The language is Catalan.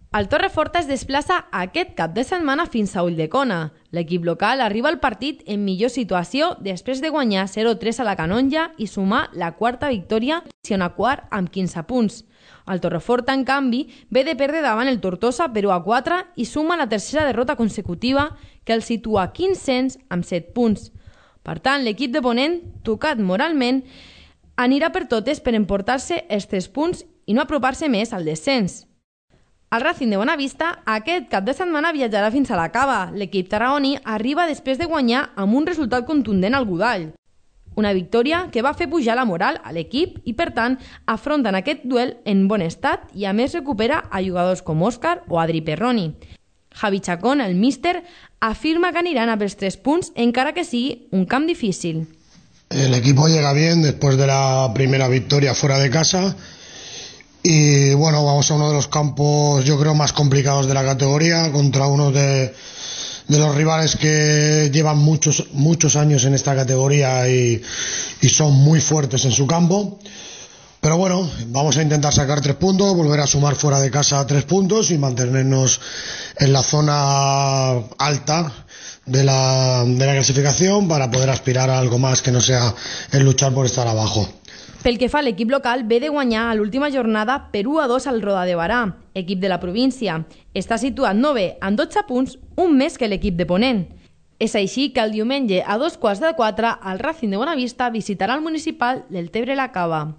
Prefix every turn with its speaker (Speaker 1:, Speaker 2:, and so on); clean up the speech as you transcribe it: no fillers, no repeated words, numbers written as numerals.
Speaker 1: El Torreforta es desplaça aquest cap de setmana fins a Ulldecona. L'equip local arriba al partit en millor situació després de guanyar 0-3 a la Canonja i sumar la quarta victòria i una quart amb 15 punts. El Torreforta, en canvi, ve de perdre davant el Tortosa per 1-4 i suma la tercera derrota consecutiva que el situa 500 amb 7 punts. Per tant, l'equip de Ponent, tocat moralment, anirà per totes per emportar-se els 3 punts i no apropar-se més al descens. El Racing de Bonavista aquest cap de setmana viatjarà fins a la Cava. L'equip tarragoní arriba després de guanyar amb un resultat contundent al Godall. Una victòria que va fer pujar la moral a l'equip i, per tant, afronten aquest duel en bon estat i a més recupera a jugadors com Òscar o Adri Perroni. Javi Chacón, el míster, afirma que aniran a pels 3 punts encara que sigui un camp difícil.
Speaker 2: El equipo llega bien después de la primera victoria fuera de casa. Y bueno, vamos a uno de los campos yo creo más complicados de la categoría contra uno de los rivales que llevan muchos años en esta categoría y son muy fuertes en su campo. Pero bueno, vamos a intentar sacar 3 puntos, volver a sumar fuera de casa 3 puntos y mantenernos en la zona alta de la clasificación para poder aspirar a algo más que no sea el luchar por estar abajo.
Speaker 1: Pel que fa a l'equip local, ve de guanyar a l'última jornada per 1-2 al Roda de Barà, equip de la província. Està situat 9 amb 12 punts, un més que l'equip de Ponent. És així que el diumenge a 3:15 el Racing de Bonavista visitarà el municipal del Tebre la Cava.